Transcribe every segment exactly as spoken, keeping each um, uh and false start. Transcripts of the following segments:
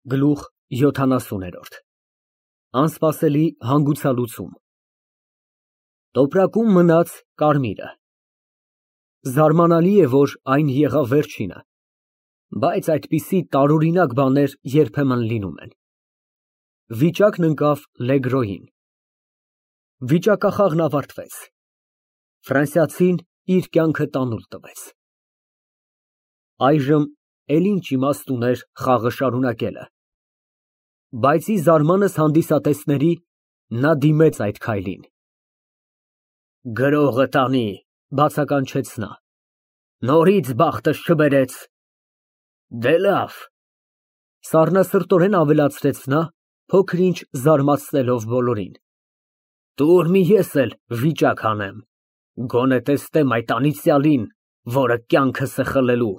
Գլուխ յոթանասուներորդ Անսպասելի հանգուցալուծում Տոպրակում մնաց կարմիրը։ Զարմանալի է, որ այն եղավ վերջինը, բայց այդպիսի տարօրինակ բաներ երբեմն լինում են։ Վիճակն ընկավ Լեգրոյին։ Վիճակախաղն ավարտվեց։ Ֆրանսիացին իր կյանքը տանուլ տվեց։ Այժմ էլ ինչ իմաստ ուներ խաղը շարունակելը։ Բայց ի զարմանս հանդիսատեսների նա դիմեց այդ քայլին։ Գրողը տանի, բացականչեց նա, նորից բախտս չբերեց։ Դե լավ, սառնասրտորեն ավելացրեց նա, փոքր-ինչ զարմացնելով բոլորին։ Տուր մի ես էլ վիճակ հանեմ, գոնե տեսնեմ այդ անիծյալին, որը կյանքս է խլելու։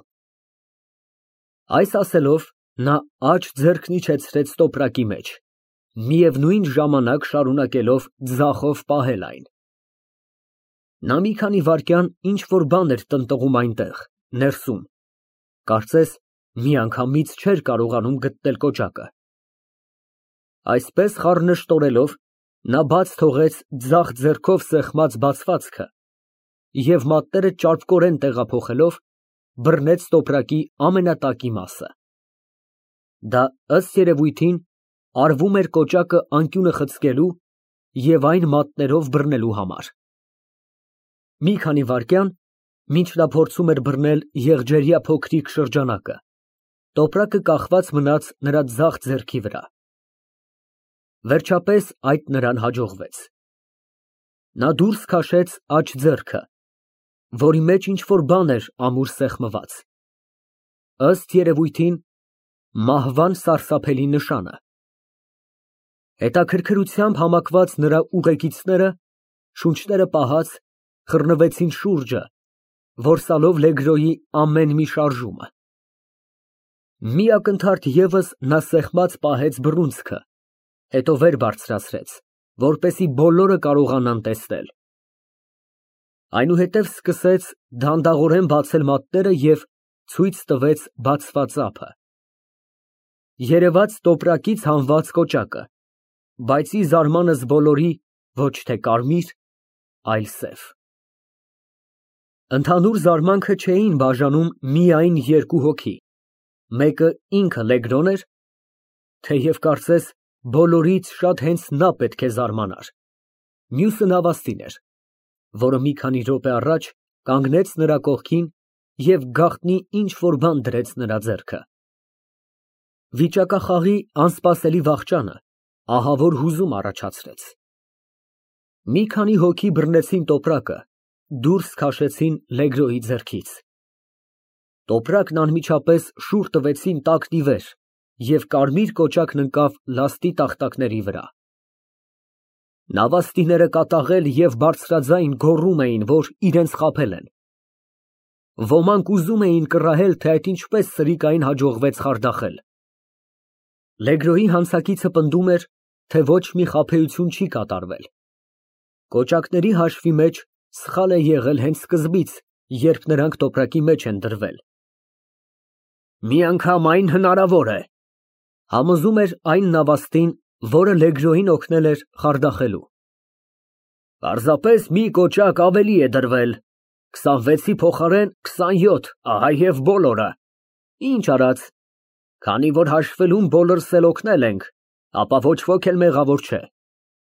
Այս ասելով, նա աջ ձեռքն իջեցրեց տոպրակի մեջ, միևնույն ժամանակ շարունակելով ձախով պահել այն։ Նա մի քանի վայրկյան ինչ֊որ բան էր տնտղում այնտեղ, ներսում, կարծես մի անգամից չէր կարողանում գտնել կոճակը։ Այսպես խառնշտորելով, նա բաց թողեց ձախ ձեռքով սեղմած բացվածքը և մատները ճարպկորեն տեղափոխելով, բռնեց տոպրակի ամենատակի մասը։ Դա, ըստ երևույթին, արվում էր կոճակը անկյունը խցկելու և այն մատներով բռնելու համար։ Մի քանի վայրկյան, մինչ նա փորձում էր բռնել եղջերյա փոքրիկ շրջանակը, տոպրակը կախված մնաց նրա ձախ ձեռքի վրա։ Վերջապես այդ նրան հաջողվեց։ Նա դուրս քաշեց աջ ձեռքը, որի մեջ ինչ֊որ բան էր ամուր սեղմված, ըստ երևույթին, մահվան սարսափելի նշանը։ Հետաքրքրությամբ համակված նրա ուղեկիցները, շունչները պահած, խռնվեցին շուրջը, որսալով Լեգրոյի ամեն մի շարժումը։ Մի ակնթարթ ևս նա սեղմած պահեց բռունցքը, հետո վեր բարձրացրեց, որպեսզի բոլորը կարողանան տեսնել։ Այնուհետև սկսեց դանդաղորեն բացել մատները և ցույց տվեց բացված ափը։ Երևաց տոպրակից հանված կոճակը, բայց ի զարմանս բոլորի ոչ թե կարմիր, այլ սև։ Ընդհանուր զարմանքը չէին բաժանում միայն երկու հոգի, մեկը ինքը Լեգրոն էր, թեև կարծես բոլորից շատ հենց նա պետք է զարմանար, մյուսը նավաստին էր, որը մի քանի րոպե առաջ կանգնեց նրա կողքին և գաղտնի ինչ֊որ բան դրեց նրա ձեռքը։ Վիճակախաղի անսպասելի վախճանը ահավոր հուզում առաջացրեց։ Մի քանի հոգի բռնեցին տոպրակը, դուրս քաշեցին Լեգրոյի ձեռքից։ Տոպրակն անմիջապես շուռ տվեցին տակն ի վեր և կարմիր կոճակն ընկավ լաստի տախտակների վրա։ Նավաստիները կատաղել և բարձրաձայն գոռում էին, որ իրենց խաբել են։ Ոմանք ուզում էին կռահել, թե այդ ինչպես սրիկային հաջողվեց խարդախել։ Լեգրոյի հանցակիցը պնդում էր, թե ոչ մի խաբեություն չի կատարվել։ Կոճակների հաշվի մեջ սխալ է եղել հենց սկզբից, երբ նրանք տոպրակի մեջ են դրվել։ Մի անգամ այն հնարավոր է, համոզում էր այն նավաստին, որը Լեգրոյին օգնել էր խարդախելու։ Պարզապես մի կոճակ ավելի է դրվել, քսանվեցի փոխարեն քսանյոթ, ահա և բոլորը։ Ինչ արած, քանի որ հաշվելուն բոլորս էլ օգնել ենք, ապա ոչ ոք էլ մեղավոր չէ։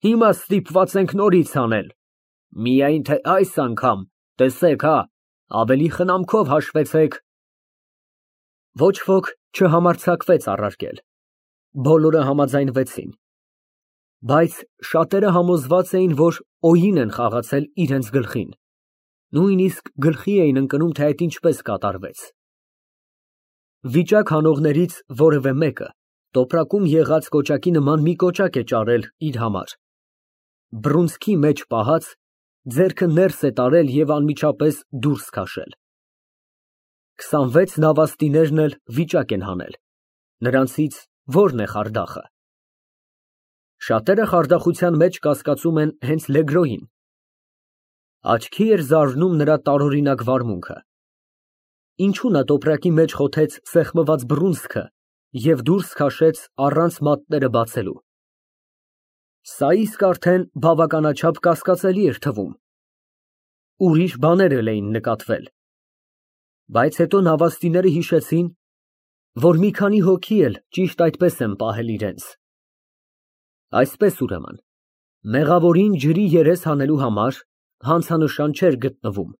Հիմա ստիպված ենք նորից անել, միայն թե այս անգամ, տեսեք հա, ավելի խնամքով հաշվեցեք։ Ոչ ոք չհամարձակվեց առարկել, բոլորը համաձայնվեցին, բայց շատերը համոզված էին, որ օին են խաղացել իրենց գլխին, նույնիսկ գլխի էին ընկնում, թե այդ ինչպես կատարվեց։ Վիճակ հանողներից որևէ մեկը տոպրակում եղած կոճակի նման մի կոճակ է ճարել իր համար, բռունցքի մեջ պահած, ձեռքը ներս է տարել և անմիջապես դուրս քաշել։ Քսանվեց նավաստիներն էլ վիճակ են հանել, նրանցից ո՞րն է խարդախը։ Շատերը խարդախության մեջ կասկածում են հենց Լեգրոյին։ Աչքի էր զարնում նրա տարօրինակ վարմունքը։ Ինչու նա տոպրակի մեջ խոթեց սեղմված բռունցքը և դուրս քաշեց առանց մատները բացելու։ Սա իսկ արդեն բավականաչափ կասկածելի էր թվում։ Ուրիշ բաներ էլ էին նկատվել։ Բայց հետո նավաստիները հիշեցին, որ մի քանի հոգի էլ ճիշտ այդպես են պահել իրենց։ Այսպես, ուրեմն, մեղավորին ջրի երես հանելու համար հանցանշան չէր գտնվում։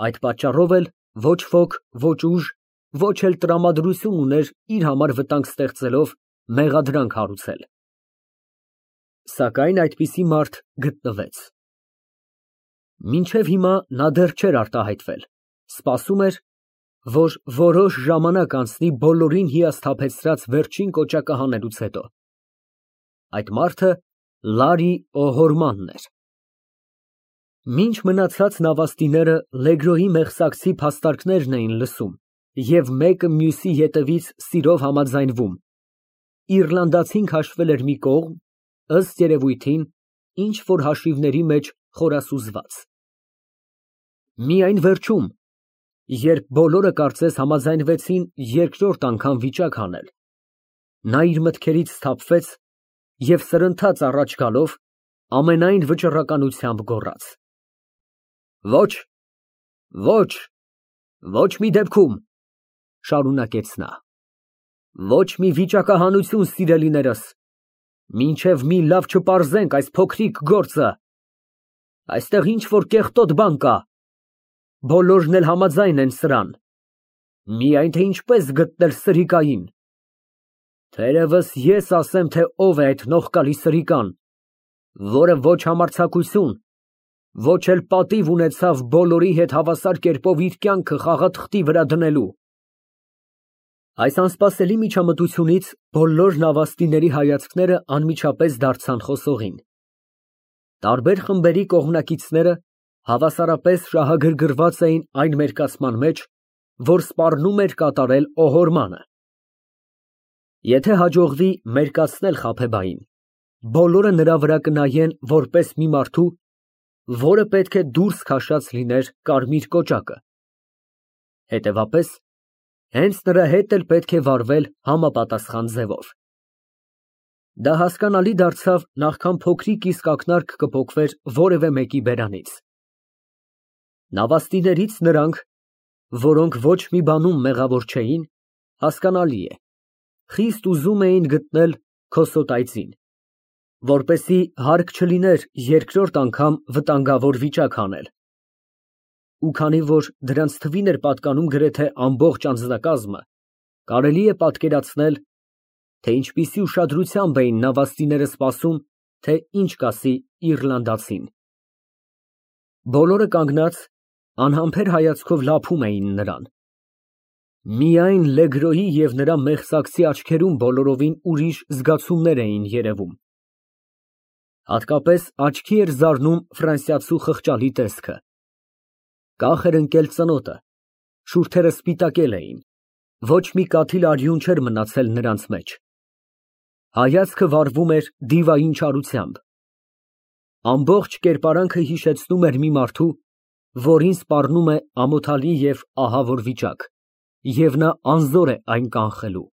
Այդ պատճառով էլ ոչ ոք, ոչ ուժ, ոչ էլ տրամադրություն ուներ իր համար վտանգ ստեղծելով մեղադրանք հարուցել։ Սակայն այդպիսի մարդ գտնվեց։ Մինչև հիմա նա դեռ չէր արտահայտվել, սպասում էր, որ որոշ ժամանակ անցնի բոլորին հիասթափեցրած վերջին կոճակը հանելուց հետո։ Այդ մարդը Լարի Օհորմանն էր։ Մինչ մնացած նավաստիները Լեգրոյի մեղսակցի փաստարկներն էին լսում և մեկը մյուսի ետևից սիրով համաձայնվում, իռլանդացին քաշվել էր մի կողմ, ըստ երևույթին, ինչ֊որ հաշիվների մեջ խորասուզված։ Միայն վերջում, երբ բոլորը կարծես համաձայնվեցին երկրորդ անգամ վիճակ հանել, նա իր մտքերից սթափվեց և սրընթաց առաջ գալով ամենայն վճռականությամբ գոռաց. «Ոչ, ոչ, ոչ մի դեպքում», շարունակեց նա, «ոչ մի վիճակահանություն, սիրելիներս, մինչև մի լավ չպարզենք այս փոքրիկ գործը։ Այստեղ ինչ֊որ կեղտոտ բան կա, բոլորն էլ համաձայն են սրան, միայն թե ինչպես գտնել սրիկային։ Թերևս ես ասեմ, թե ով է այդ նողկալի սրիկան, որը ոչ համարձակություն, ոչ էլ պատիվ ունեցավ բոլորի հետ հավասար կերպով իր կյանքը խաղաթղթի վրա դնելու»։ Այս անսպասելի միջամտությունից բոլոր նավաստիների հայացքները անմիջապես դարձան խոսողին։ Տարբեր խմբերի կողմնակիցները հավասարապես շահագրգռված էին այն մերկացման մեջ, որ սպառնում էր կատարել Օհորմանը։ Եթե հաջողվի մերկացնել Խաբեբային, բոլորը նրա վրա կնայեն որպես մի մարդու, որը պետք է դուրս քաշած լիներ կարմիր կոճակը։ Հետևաբար, հենց նրա հետ էլ պետք է վարվել համապատասխան ձևով։ Դա հասկանալի դարձավ, նախքան փոքրիկ իսկ ակնարկ կպոկվեր որևէ մեկի բերանից։ Նավաստիներից նրանք, որոնք ոչ մի բանում մեղավոր չէին, հասկանալի է, խիստ ուզում էին գտնել Քոսոտայցին, որպեսզի հարկ չլիներ երկրորդ անգամ վտանգավոր վիճակ հանել։ Ու քանի որ դրանց թվին էր պատկանում գրեթե ամբողջ անձնակազմը, կարելի է պատկերացնել, թե ինչպիսի ուշադրությամբ էին նավաստիները սպասում, թե ինչ կասի իռլանդացին։ Բոլորը կանգնած, անհամբեր հայացքով լափում էին նրան։ Միայն Լեգրոյի և նրա մեղսակցի աչքերում բոլորովին ուրիշ զգացումներ էին երևում։ Հատկապես աչքի էր զարնում ֆրանսիացու խղճալի տեսքը։ Կախ էր ընկել ծնոտը, շուրթերը սպիտակել էին, ոչ մի կաթիլ արյուն չէր մնացել նրանց մեջ։ Հայացքը վառվում էր դիվային չարությամբ։ Ամբողջ կերպարանքը հիշեցնում էր մի մարդու, որին սպառնում է ամոթալի և ահավոր վիճակ, և նա անզոր է այն կանխելու։